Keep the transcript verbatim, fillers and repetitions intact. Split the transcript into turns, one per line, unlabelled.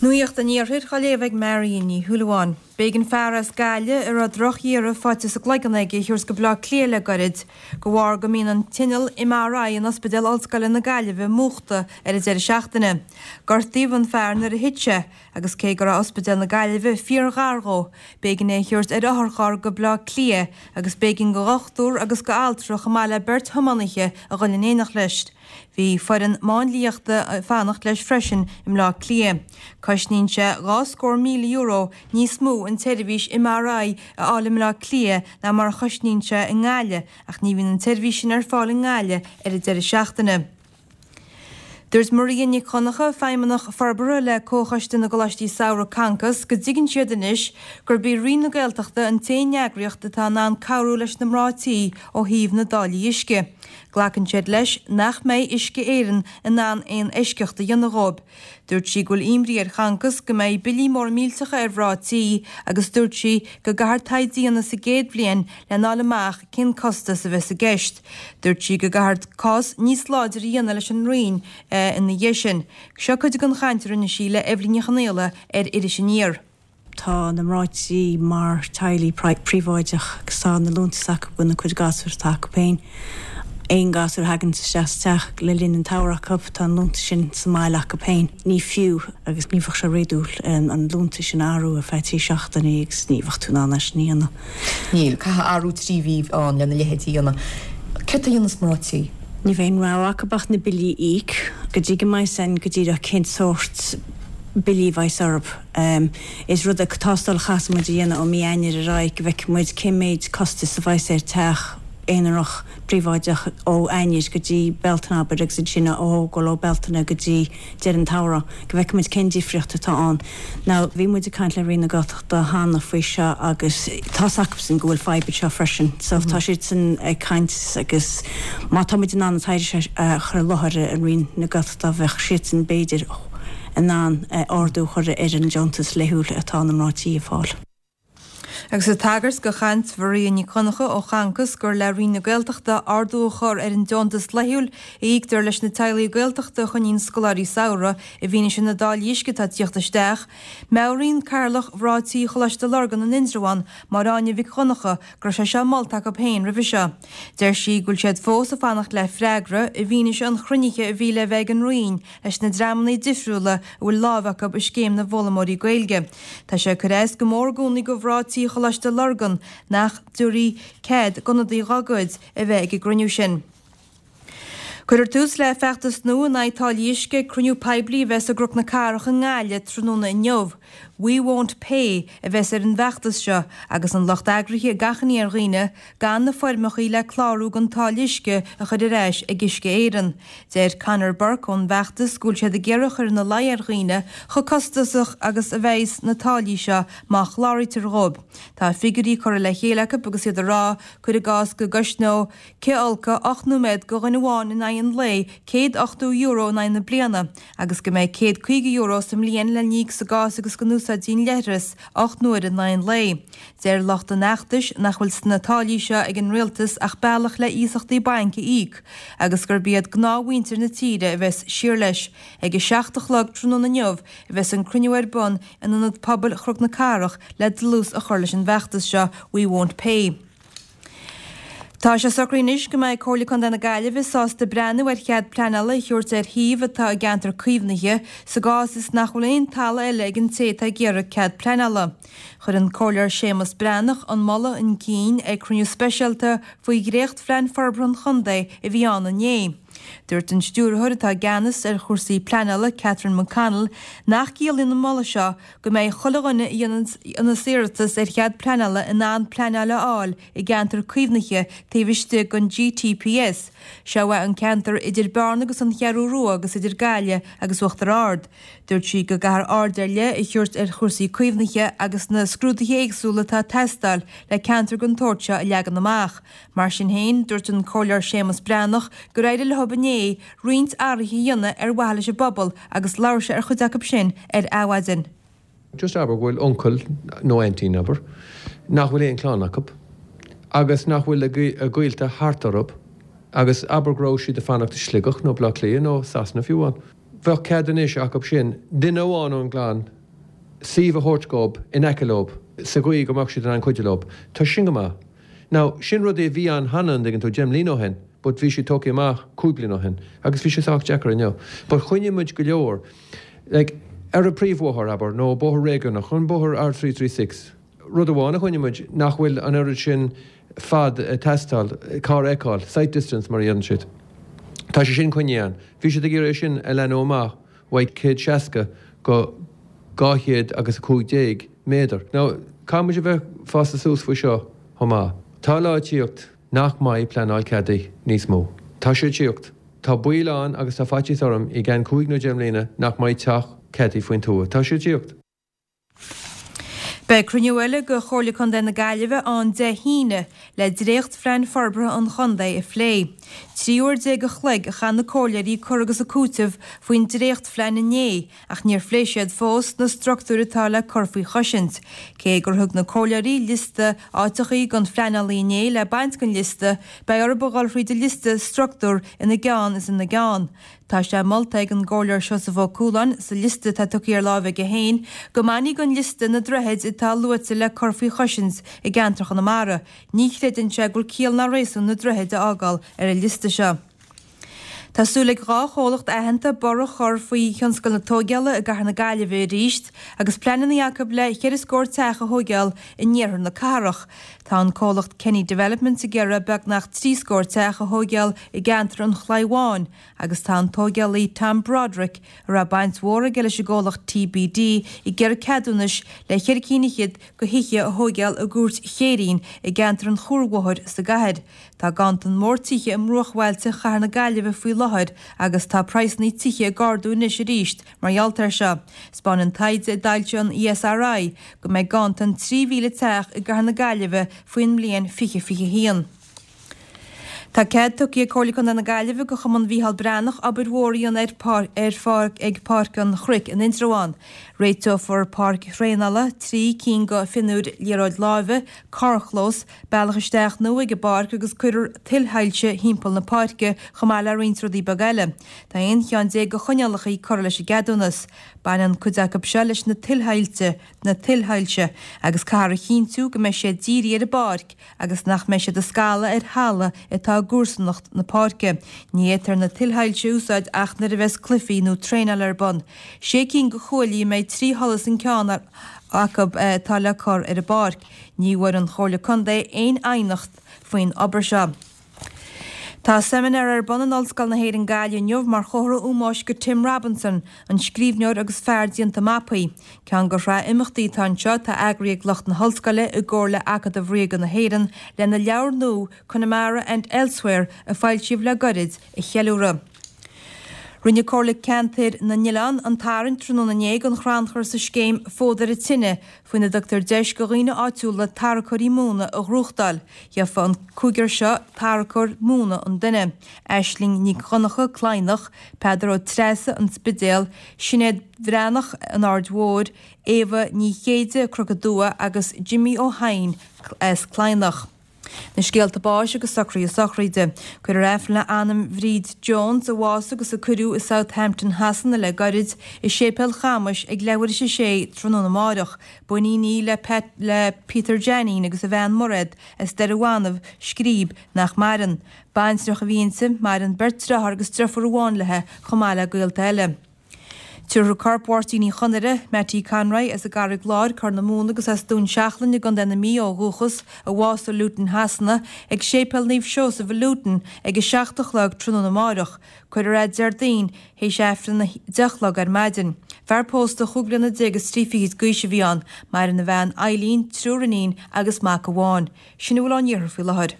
Nuacht an Iarthair á léamh ag Marion Ní Shúilleabháin. B'éigean fear as Gaillimh a raibh drochdhearadh faighte sa gcloigeann aige a thabhairt go Baile Átha Cliath le gairid, de bharr go mbíonn an t-inneall MRI in Ospidéal Ollscoile na Gaillimhe múchta ar an deireadh seachtaine. Gortaíodh an fear nuair a thit sé, agus cé go raibh Ospidéal na Gaillimhe fíorghar dhó, b'éigean é a thabhairt ar otharcharr go Baile Átha Cliath agus b'éigean do dhochtúir agus do altra chomh maith le beirt thiománaithe a dhul in éineacht leis. Bhí foireann máinliachta ag fanacht leis freisin i mBleá Cliath. Cosnaíonn sé dhá scór míle euro níos mó an tseirbhís MRI a fháil i mBleá Cliath ná mar a chosnaíonn sé i nGaillimh, ach ní bhíonn an tseirbhís sin ar fáil i nGaillimh ar an deireadh seachtaine. Dúirt Maria Nic Dhonncha, feidhmeannach forbartha le Comhchoiste na gColáistí Samhraidh Concos, go dtuigeann siad anois gurb í Roinn na Gaeltachta an t-aon eagraíocht atá in ann cabhrú leis na mná tí ó thaobh na dtáillí uisce. Glacann siad leis nach mbeidh Uisce Éireann in ann aon eisceacht a dhéanamh dhóibh. Dúirt sí go bhfuil imní ar Choncos go mbeidh billí móra millteacha ar mhná tí agus dúirt sí go gcaithfear taighde a dhéanamh sa gcéad bhliain lena fháil amach cén costas a bheas i gceist. Dúirt sí go gcaithfear cás níos láidre a dhéanamh leis an Roinn ina dhiaidh sin. Seo cuid den chaint a rinne sí le Eibhlín Ní Chonghaile ar Iris Aniar.
Tá na mná tí mar teaghlaigh príobháideach agus tá na liúntais acu gona cuid gasúr atá acu féin. Aon gasúr a thagann isteach sa teach le linn an tsamhraidh acu, tá an liúntas sin sa mbaile acu féin. Ní fiú agus ní bheadh sé réadúil an liúntas sin a athrú ar feadh trí seachtainí agus ní bheadh tú in ann é sin a dhéanamh.
Níl. Caithfidh athrú trí mhí ann lena leithéid a dhéanamh. Céard a dhéanfas mná tí?
Ní bheidh aon rogha acu ach na billí a íoc go dtí go mbeidh san go díreach cén sórt billí a bheas orthu. Is rud é tástáil a chaithfeas muid a dhéanamh ó mí Eanáir ar aghaidh go bhfeicfidh muid cén méid costais a bheas ar teach aonarach príobháideach ó Eanáir go dtí Bealtaine abair agus ansin ó thógáil ó Bealtaine go dtí deireadh an tsamhraidh go bhfeicfidh muid cén difríocht atá ann. Now bhí muid ag caint le Roinn na Gaeltachta cheana faoi seo agus tá's acusan go bhfuil fadhb anseo freisin so tá siadsan ag caint agus má tá muid in ann an taighde seo a chur i láthair an Roinn na Gaeltachta bheadh siadsan b'fhéidir in ann ardú a chur ar an deontas laethúil atá na mná tí ag fáil.
Agus ag tagairt do chaint Mharia Nic Dhonncha ó Choncos gur le Roinn na Gaeltachta ardú a chur ar an deontas laethúil a íoctar leis na teaghlaigh Gaeltachta a choinníonn scoláirí samhraidh i bhfianaise na dtáillí uisce atá ag tíocht isteach, meabhraíonn Cathaoirleach Mhná Tí Choláiste Lurgan in Indreabhán, Máire Áine Mhic Dhonncha, go raibh sé seo molta acu féin roimhe seo. Deir sí go bhfuil siad fós ag fanacht le freagra i bhfianaise an chruinnithe a bhí le bheith ag an Roinn leis na dreamanna difriúla a bhfuil lámh acu i scéim na bhfoghlaimeoirí Gaeilge. Tá sé ag cur as go mór i gcónaí do mhná tí Choláiste Lurgan nach dtabharfaí cead d'ionadaí dá gcuid a bheith ag an gcruinniú sin. Cuirfear tús le feachtas nua in aghaidh táillí uisce ag cruinniú poiblí a bheas i gCnoc na Cathrach i nGaillimh tráthnóna inniu. We Won't Pay a bheas ar an bhfeachtas seo agus an lucht eagraithe ag achainí ar dhaoine gan na foirmeacha le clárú don táille uisce a chur ar ais ag Uisce Éireann. Deir Conor Burke ón bhfeachtas go bhfuil siad ag iarraidh a chur ina luí ar dhaoine chomh costasach agus a bheas na táillí seo má chláraítear dhóibh. Tá figiúirí curtha le chéile acu agus iad ag rá, cuir i gcás, go gcosnódh cithfholcadh ocht nóiméad do dhuine amháin in aghaidh an lae céad ochtó euro in aghaidh na bliana agus go mbeidh céad caoga euro sa mbliain le n-íoc sa gcás agus go n-úsáidfí an leithreas ocht n-uaire in aghaidh an lae. Deir lucht an fheachtais nach bhfuil sna táillí seo ag an rialtas ach bealach le iasachtaí bainc a íoc agus gurb iad gnáthmhuintir na tíre a bheas siar leis. Ag a seacht a chlog tráthnóna inniu a bheas an cruinniú ar bun in Ionad Pobail Chnoc na Cathrach le dlús a chur leis an bhfeachtas seo We Won't Pay. Tá sé socraithe anois go mbeidh Comhairle Contae na Gaillimhe sásta breathnú ar chead pleanála a thabhairt ar shuíomh atá i gceantar caomhnaithe sa gcás is nach bhfuil aon talamh eile ag an té atá ag iarraidh cead pleanála. Chuir an Comhairleoir Séamus Breathnach an moladh chun cinn ag cruinniú speisialta faoi dhréachtphlean forbartha an chontae a bhí ann inné. Dúirt an stiúrthóir atá i gceannas ar chúrsaí pleanála, Catherine McConnell, nach gciallaíonn an moladh seo go mbeidh chuile dhuine a dhéananns iarratas ar chead pleanála in ann pleanáil a fháil i gceantar caomhnaithe taobh istigh den GTPS. Seo é an ceantar idir Bearna agus an Cheathrú Rua agus idir Gaillimh agus Uachtar Ard. Dúirt sí go gcaithfear aird ar leith a thabhairt ar chúrsaí caomhnaithe agus na scrúduithe éagsúla atá ag teastáil le ceantar den tsórt seo a leagan amach. Mar sin féin, dúirt an Comhairleoir Séamus Breathnach gur éirigh leo inné roinnt athruithe a dhéanamh ar mhaithe leis an bpobal agus labhair sé ar chuid acu sin ar Adhmhaidin.
Just abair go bhfuil uncail nó aintín, abair, nach bhfuil aon chlann acu agus nach bhfuil a gaolta thart orthu agus abair go raibh siad ag fanacht i Sligeach nó Baile Átha Cliath nó Sasana fiú amháin. Bheadh cead anois acu sin duine amháin ón gclann suíomh a thabhairt dóibh in aice leo sa gcaoi go mbeadh siad in ann cuidiú leo. Tá sin go maith. Now, sin rud é bhí ann cheana an dtuigeann tú deich mbliana ó shin, but bhí sé tógtha amach cúig bliana ó shin agus bhí sé sách deacair inniu. But choinnigh muid go leor like, ar an príomhbhóthar abair nó bóthar réigiúnach an bóthar R three three six. Rud amháin a choinnigh muid nach bhfuil an oiread sin fad ag teastáil, carrfheiceáil, sight distance mar a dhéanann siad. Tá sé sin coinnithe ann. Bhí siad ag iarraidh é sin a leathnú amach uaidh céad seasca go dhá chéad agus a cúig déag méadar. Now, caithfidh muid a bheith fásta suas faoi seo chomh maith. Tá lá ag tíocht nach mbeidh pleanáil ceadaithe níos mó. Tá sé ag tíocht. Tá baol ann agus tá faitíos orm i gceann cúig nó deich mbliana nach mbeidh teach ceadaithe faoin tuath. Tá sé ag tíocht.
Beidh cruinniú eile de Chomhairle Contae na Gaillimhe ann Dé hAoine le dréachtphlean forbartha an chontae a phlé. Trí uair déag a chloig a chaith na comhairleoirí ag cur agus ag cúiteamh faoin dréachtphlean inné ach níor phléigh siad fós na struchtúir atá le cur faoi chosaint. Cé gur thug na comhairleoirí liosta áiteachaí don phleanálaí inné le baint den liosta, beidh orthu a dhul thríd an liosta struchtúr ina gceann is ina gceann. Tá sé molta ag an gcomhairleoir Seosamh Ó Cualáin sa liosta atá tugtha ar láimh aige féin go mbainfí den liosta na droichid atá luaite le cur faoi chosaint i gceantar Chonamara. Ní chreideann sé go bhfuil ciall ná réasún na droichid a fhágáil ar an liosta seo. Tá súil ag dhá chomhlacht aitheanta borradh a chur faoi thionscal na tóigeála i gcathair na Gaillimhe arís agus pleananna acu le ceithre scór teach a thóigeáil in iarthar na cathrach. Tá an comhlacht Kenny Developments ag iarraidh beagnach trí scór teach a thóigeáil i gceantar an Chlaí Bháin agus tá an tóigeálaí Tom Broderick, a raibh baint mhór aige leis an gcomhlacht TBD, ag iarraidh ceadúnais le ceithre cinn fhichead de thithe a thóigeáil i gCúirt Chéirín i gceantar an Chuarbhóthair sa gcathair. Tá ganntan mór tithe i mbruachbhailte chathair na Gaillimhe faoi láthair agus tá praghsanna tithe ag ardú anois arís mar gheall air seo. Spáineann taighde a d'fhoilsigh an ESRI go mbeidh ganntan trí mhíle teach i gcathair na Gaillimhe faoin mbliain fiche fiche haon. Tá cead tugtha ag Comhairle Contae na Gaillimhe do Chumann Mhícheál Breathnach obair mhór a dhéanamh ar ar pháirc ag Páirc an Chnoic in Indreabhán. Réiteofar páirc thraenála, trí cinn de phionúir liathróid láimhe, carrchlós, bealach isteach nua ag an bpáirc agus cuirfear tuilshoilse thimpeall na páirce chomh maith le roinnt rudaí beaga eile. Tá aon cheann déag de choinníollacha curtha leis an gceadúnas. Baineann cuid acu seo leis na tuilshoilse, na tuilshoilse agus caithfear a chinntiú go mbeidh siad dírithe ar an bpáirc agus nach mbeidh siad ag scalladh ar thalamh atá i gcomharsanacht na páirce. Ní fhéadfar na tuilshoilse a úsáid ach nuair a bheas cluichí nó traenáil ar bun. Sé cinn de chuaillí a mbeidh trí sholas an ceann acu atá le cur ar an bpáirc. Ní bhfuair an Chomhairle Contae aon aighneacht faoin obair seo. Tá seimineár ar bun in Ollscoil na hÉireann Gaillimh inniu mar chomhartha ómóis do Tim Robinson, an scríbhneoir agus fear déanta mapaí. Ceann de shraith imeachtaí atá anseo atá eagraithe ag lucht na hollscoile i gcomhar le Acadamh Ríoga na hÉireann lena leabhar nua Connemara and Elsewhere a foilsíodh le gairid a cheiliúradh. Rinne Comhairle Ceantair na nOileán an tarraingt tráthnóna inné don chrannchur sa scéim Fód ar an Tine, faoina dtugtar deis do dhaoine áitiúla tarracóirí móna a ghnóthachtáil. Gheofa an cúigear seo tarracóir móna an duine. Aisling Nic Dhonncha, Cladhnach, Peadar Ó Treasa, An Spidéal, Sinéad Bhreathnach, An Aird Mhóir, Éabha Ní Chéide, Cnoc an Dua agus Jimmy Ó hEidhin as Cladhnach. Na scéalta báis agus socruithe sochraide. Cuirfear Aifreann le anam Bhríd Jones, a bhásaigh agus a cuireadh i Southampton Shasana le gairid, i Séipéal Chamais ag leathuair tar éis a sé tráthnóna amárach. B'iníon í le Pat, le Peter Janine agus a bhean Mairéad as Doire Bhanbh, Scríb, nach maireann. Baintreach a bhí inti, maireann beirt deartháir agus deirfiúr amháin léi chomh maith le gaolta eile. Tabharfar corp Mháirtín Uí Chonaire, Mattie Conroy, as an gCarraig Láir, Corr na Móna agus as Dún Seachlainn i gContae na Mí ó dhúchas, a bhásaigh i Luton Shasana, ag Séipéal Naomh Seosamh i Luton ag a seacht a chlog tráthnóna amárach. Cuirfear é Déardaoin théis Aifreann a deich a chlog ar maidin. Fear pósta chúig bliana déag is trí fichid d'aois a bhí ann. Maireann a bhean Eileen, triúr iníon agus mac amháin. Sin a bhfuil ón iarthar faoi láthair.